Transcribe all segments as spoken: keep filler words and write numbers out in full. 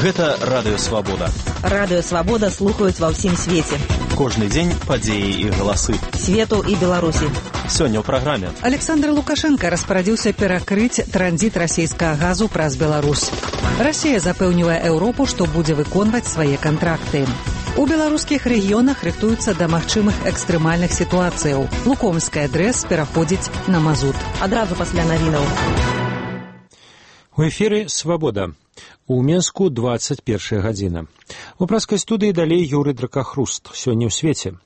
Гэта Радыё Свабода. Радыё Свабода слухаюць ва ўсім свеце. Кожны дзень падзеі і галасы. Свету і Беларусі. Сёння ў праграме. Александр Лукашенко распарадзіўся перакрыць транзіт расійскага газу праз Беларусь. Расія запэўнівае Еўропу, што будзе выконваць свае кантракты. У беларускіх рэгіёнах рыхтуюцца да магчымых экстрэмальных сітуацыяў. Лукомская ДРЭС пераходзіць на мазут. Адразу пасля навінаў. У эфіры «Свабода». У Менску двадцать першая гадзіна. У праскай студыі далей Юрый Дракахруст. Сёння ў свеце.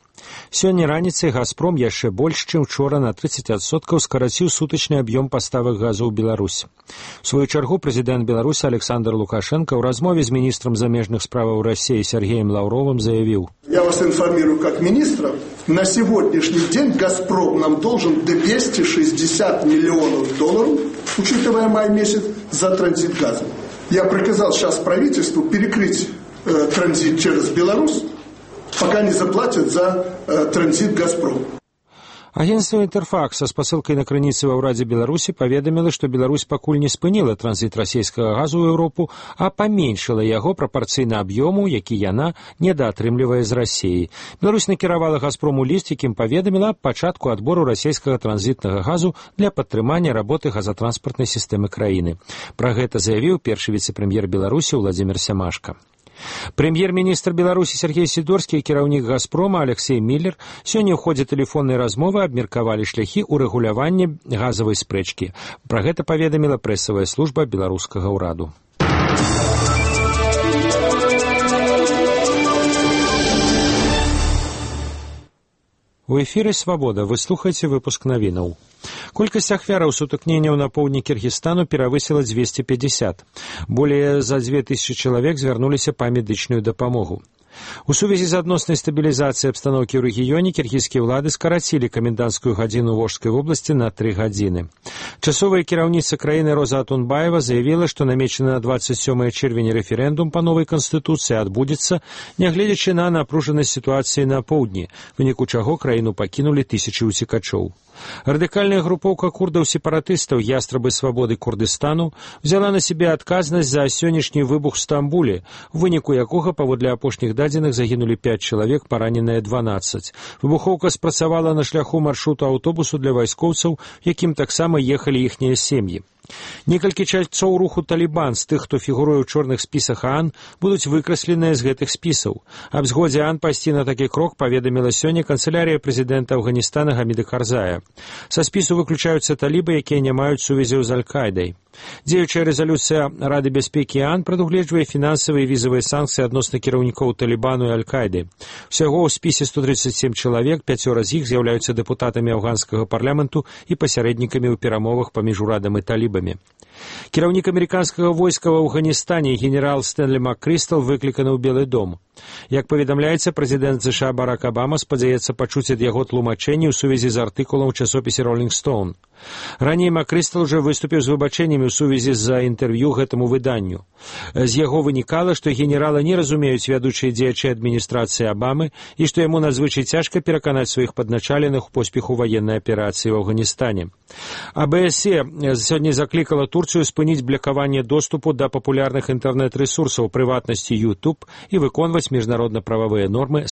Сёння раніцай «Газпром» яшчэ больш, чым учора на тридцать адсоткаў скараціў сутачны аб'ём паставак газу ў Беларусь. У сваю чаргу прэзідэнт Беларусі Александр Лукашенко ў размове з міністрам замежных справаў России Сергеем Лавровым заявил: «Я вас информирую как министра. На сегодняшний день «Газпром» нам должен двести шестьдесят миллионов долларов, учитывая май месяц, за транзит газа. Я приказал сейчас правительству перекрыть э, транзит через Беларусь, пока не заплатят за э, транзит «Газпром». Агентство «Интерфакс» са спасылкай на крыніцы ва ўрадзе Беларусі паведаміла, што Беларусь пакуль не спыніла транзіт расійскага газу ў Еўропу, а паменшыла яго прапарцыйна аб'ёму, які яна недаатрымлівае з Расіі. Беларусь накіравала «Газпрому» ліст, якім паведаміла аб пачатку адбору расійскага транзітнага газу для падтрымання работы газатранспартнай сістэмы краіны. Пра гэта заявіў першы віцэ-прэм'ер Беларусі Владзімір Сямашка. Прэм'ер-міністр Беларусі Сергей Сідорскі і кіраўнік «Газпрома» Алексей Миллер сёння ў ходзе тэлефоннай размовы абмеркавалі шляхі ўрэгулявання газавай спрэчкі. Пра гэта паведаміла прэсавая служба беларускага ўраду. У эфіры «Свабода». Вы слухаеце выпуск навінаў. Колькасць ахвяраў сутыкненняў на поўдні Кіргізстану перавысіла двести пятьдесят. Более за две тысячи чалавек звярнуліся па медычную дапамогу. У сувязі з адноснай стабілізацыяй абстаноўкі ў рэгіёне кіргізскія ўлады скарацілі каменданцкую гадзіну ў Волжскай вобласці на тры гадзіны. Часовая кіраўніца краіны Роза Атунбаева заявіла, што намечаны на двадцать сёмае чэрвеня рэферэндум па новай канстытуцыі адбудзецца, нягледзячы на напружанасць сітуацыі на поўдні, у выніку чаго краіну пакінулі тысячы ўцекачоў. Радыкальная групоўка курдаў-сепаратыстаў «Ястрабы свабоды Курдыстану» взяла на себе адказнасць за сённяшні выбух у Стамбуле, у выніку якога, паводле апошніх дадзеных, загінулі пять чалавек, параненыя дванаццаць. Выбухоўка спрацавала на шляху маршруту аўтобусу для вайскоўцаў, якім таксама ехалі іхнія сем'і. Некалькі чальцоў руху «Талібан» з тых, хто фігуруе ў чорных спісах ААН, будуць выкрасленыя з гэтых спісаў. Аб згодзе ААН пайсці на такі крок паведаміла сёння канцылярыя прэзідэнта Афганістана Гаміда Карзая. Са спісу выключаюцца талібы, якія не маюць сувязяў з Аль-Кайдай. Дзеючая рэзалюцыя Рады бяспекі ААН прадугледжвае фінансавыя і візавыя санкцыі адносна кіраўнікоў Талібану і Аль-Кайды. Усяго ў спісе сто тридцать семь чалавек, пяцёра з іх з'яўляюцца дэпутатамі афганскага парламенту і пасярэднікамі ў перамовах паміж урадам і талібамі. Кіраўнік амерыканскага войска ў Афганістане генерал Стэнлі МакКрыстал выкліканы ў Белы дом. Як паведамляецца, прэзідэнт США Барак Абама спадзяецца пачуць ад яго тлумачэнні ў сувязі з артыкулам у часопісе «Роллинг Стоун». Раней МакКрыстал уже выступіў з выбачэннямі ў сувязі з інтэрв'ю гэтаму выданню. З яго вынікала, што генерала не разумеюць вядучыя дзеячы адміністрацыі Абамы і што яму надзвычай цяжка пераканаць сваіх падначаленых у поспеху ваеннай аперацыі ў Афганістане. АБСЕ сёння заклікала Турцыю спыніць блакаванне доступу да папулярных інтэрнэт-рэсурсаў, прыватнасці YouTube і выконваць міжнародна-прававыя нормы